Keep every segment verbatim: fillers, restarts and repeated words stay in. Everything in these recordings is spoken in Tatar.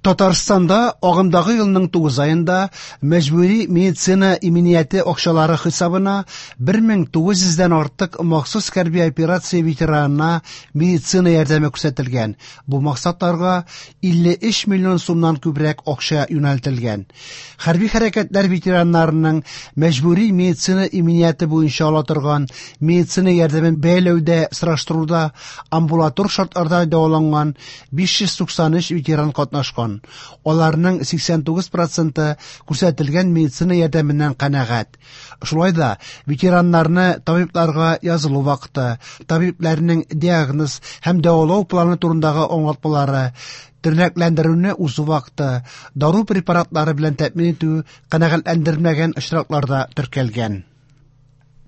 Татарстанда агымдагы елның тугыз аенда мәҗбүри медицина иминияте акчалары хисабына бер мең тугыз йөздән артык махсус хәрби операция ветеранына медицина ярдәме күрсәтелгән. Бу максатларга илле өч миллион сумнан күбрәк акча юнәлтелгән. Хәрби хәрәкәтләр ветераннарының мәҗбүри медицина иминияте буенча ала торган медицина ярдәмен бәяләүдә сораштыруда амбулатор шартларда дәваланган биш йөз туксан өч ветеран катнашкан. Аларның сиксән тугыз проценты күрсәтелгән медицина ярдәменнән канәгать. Шулай да ветераннарны табибларга язылу вакыты, табибләрнең диагноз һәм дәвалау планы турындагы аңлатмалары, тернәкләндерүне узу вакыты, дару препаратлары белән тәэмин итү канәгатьләндерелмәгән очракларда теркәлгән.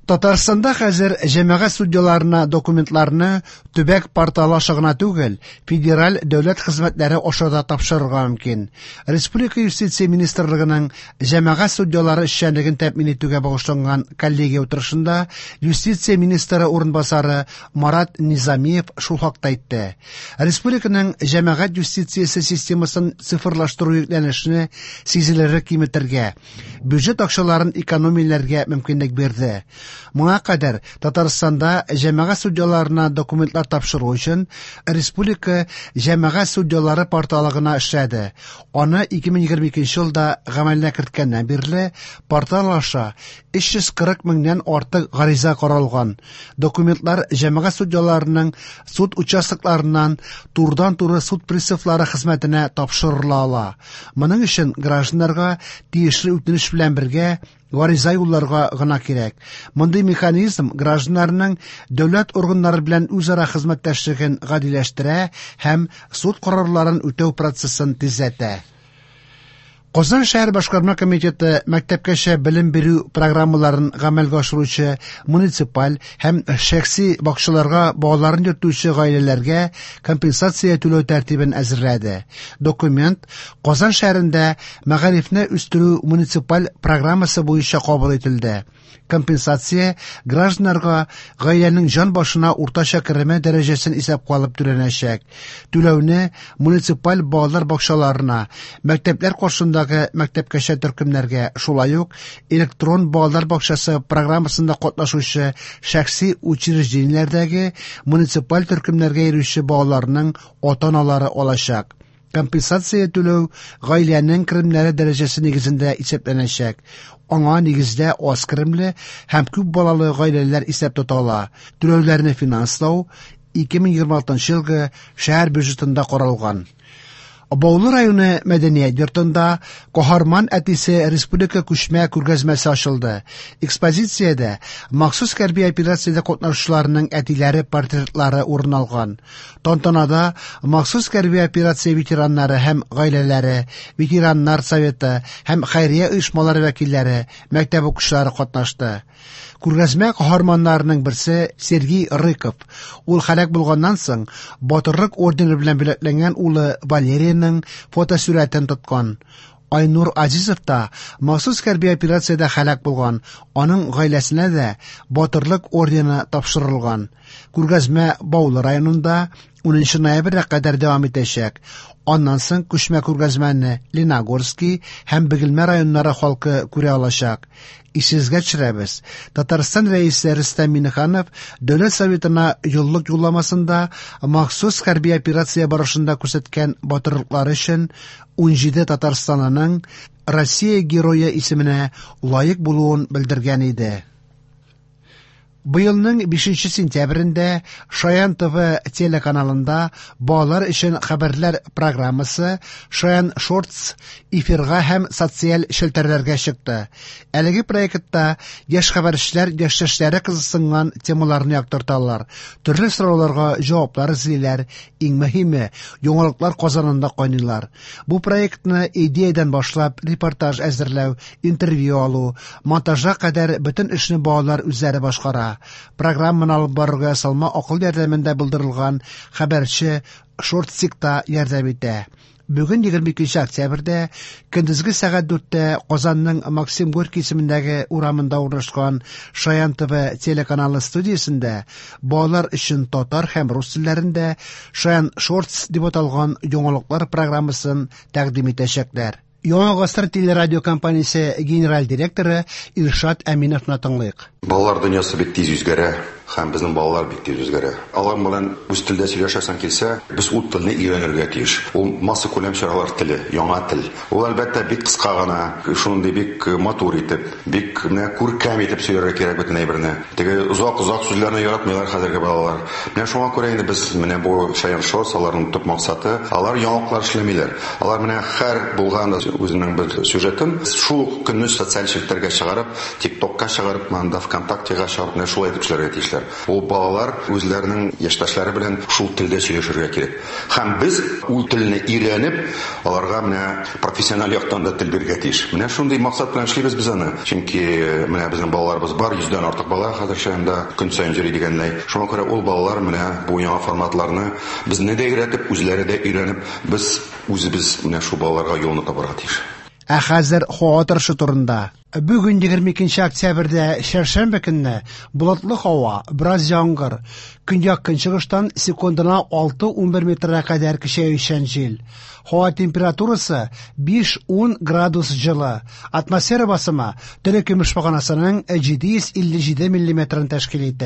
Татарстанда хәзер җәмәгать судьяларына документларны төбәк порталы аша гына түгел, федераль дәүләт хезмәтләре аша да тапшырырга мөмкин. Республика юстиция министрлыгының җәмәгать судьялары эшчәнлеген тәэмин итүгә багышланган коллегия утырышында юстиция министры урынбасары Марат Низамиев шул хакта әйтте. Республиканың җәмәгать юстициясе системасын цифрлаштыру йөкләнешне сизелерлек киметергә, бюджет акчаларын экономияләргә мөмкинлек бирде. Моңа кадәр Татарстанда җәмәгать судьяларына документлар тапшыру өчен Республика җәмәгать судьялары порталы гына эшләде. Аны ике мең егерме икенче елда гамәлгә керткәннән бирле портал аша өч йөз кырык меңнән артык гариза каралган. Документлар җәмәгать судьяларының суд участокларыннан турыдан-туры суд приставлары хезмәтенә тапшырыла ала. Моның өчен гражданнарга тиешле үтенеч белән бергә гариза юлларга гына кирәк. Мондый механизм гражданнарның дәүләт органнары белән үзара хезмәттәшлеген гадиләштерә һәм суд карарларын үтәү процессын тизләтә. Казан шәһәр башкарма комитеты мәктәпкәчә белем бирү программаларын гамәлгә ашыручы муниципаль һәм шәхси бакчаларга балаларын йөртүче гаиләләргә компенсация түләү тәртибен әзерләде. Документ Казан шәһәрендә мәгарифне үстерү муниципаль программасы буенча кабул ителде. Компенсация гражданнарга гаиләнең җан башына уртача кереме дәрәҗәсен исәпкә алып түләнәчәк. Түләүне муниципаль балалар бакчаларына, мәктәпләр каршындагы мәктәпкәчә төркемнәргә, шулай ук электрон балалар бакчасы программасында катнашучы шәхси учреждениеләрдәге муниципаль төркемнәргә йөрүче балаларның ата-аналары алачак. Компенсация түләү гаиләнең керемнәре дәрәҗәсе нигезендә исәпләнәчәк. Аңа нигездә аз керемле һәм күп балалы гаиләләр исәп тотыла. Түләүләрне финанслау ике мең егерме алтынчы елгы шәһәр бюджетында каралган. Баулы районы мәдәният йортында Каһарман әтисе республика күчмә күргәзмәсе ачылды. Экспозициядә махсус хәрби операциядә катнашучыларның әтиләре портретлары урын алган. Тантанада махсус хәрби операция ветераннары һәм гаиләләре, ветераннар советы һәм хәйрия оешмалары вәкилләре, мәктәп укучылары катнашты. Күргәзмә каһарманнарының берсе Сергей Рыков. Ул һәлак булганнан соң Батырлык ордены белән бүләкләнгән улы Валерийның фотосурәтен тоткан. Айнур Азизов та махсус хәрби операциядә һәлак булган. Аның гаиләсенә дә Батырлык ордены тапшырылган. Күргәзмә Баулы районында унынчы ноябрьгә кадәр дәвам итәчәк. Аннан соң күчмә күргәзмәне Лениногорский һәм Бөгелмә районнары халкы күрә алачак. Исегезгә төшерәбез. Татарстан рәисе Рөстәм Миңнеханов Дәүләт Советына юллык юлламасында махсус хәрби операция барышында күрсәткән батырлыклары өчен унҗиде татарстанлының Россия герое исеменә лаек булуын белдергән иде. Быелның бишенче сентябрендә Шаян ТВ телеканалында балалар өчен хәбәрләр программасы Шаян Шортс эфирга һәм социаль челтәрләргә чыкты. Әлеге проектта яшь хәбәрчеләр яшьтәшләре кызыксынган темаларны яктырталар, төрле сорауларга җаваплар эзлиләр, иң мөһиме яңалыклар казанында кайныйлар. Бу проектны идеядән башлап репортаж әзерләү, интервью алу, монтажга кадәр бөтен эшне балалар үзләре башкара. Программаны алып барырга ясалма акыл ярдәмендә булдырылган хәбәрче Шортсикта ярдәм итә. Бүген егерме икенче октябрьдә көндезге сәгать дүрттә Казанның Максим Горький исемендәге урамында урнашкан Шаян ТВ телеканалы студиясендә балалар өчен татар һәм рус телләрендә Шаян Шортс дип аталган яңалыклар программасын тәкъдим итәчәкләр. Яңа Гасыр телерадиокомпаниясе генераль директоры Илшат Әминовны тыңлыйк. Балалар дөньясы бик тиз үзгәрә, һәм безнең балалар бик тиз үзгәрә. Алар белән үз телдә сөйләшәсең килсә, без ул телне өйрәнергә тиеш. Ул массакүләм чаралар теле, яңа тел. Ул әлбәттә бик кыска гына, шундый бик матур итеп, бик менә күркәм итеп сөйләргә кирәк бөтен әйберне. Теге озак-озак сүзләрне яратмыйлар хәзерге балалар. Менә шуңа күрә инде без менә бу Шаян Шортс, аларның төп максаты, алар яңалыклар эшләмиләр. Алар менә һәр булган үзенең бер сюжетын шул ук көнне социаль челтәргә чыгарып, ТикТокка чыгарып, монда ВКонтактега чыгарып, менә шулай итеп эшләргә тиешләр. Ул балалар үзләренең яшьтәшләре белән шул телдә сөйләшергә кирәк. Һәм без ул телне өйрәнеп, аларга менә профессиональ яктан да тел бирергә тиеш. Менә шундый максат белән эшлибез без аны. Чөнки менә безнең балаларыбыз бар, йөздән артык бала хәзер Шаянда көн саен йөри дигәндәй. Шуңа күрә ул балалар менә бу яңа форматларны безне дә өйрәтеп, үзләре дә өйрәнеп, без үзебез менә шул балаларга юлны табарга тиеш. Ә хәзер һава торышы турында. Бүген егерме икенче октябрьдә чәршәмбе көнне болытлы һава, бераз яңгыр. Көньяк-көнчыгыштан секундына алты-унбер метрга кадәр көчәючән җил. Һава температурасы биш-ун градус җылы. Атмосфера басымы төне көмеш баганасының җиде йөз илле җиде миллиметрын тәшкил итә.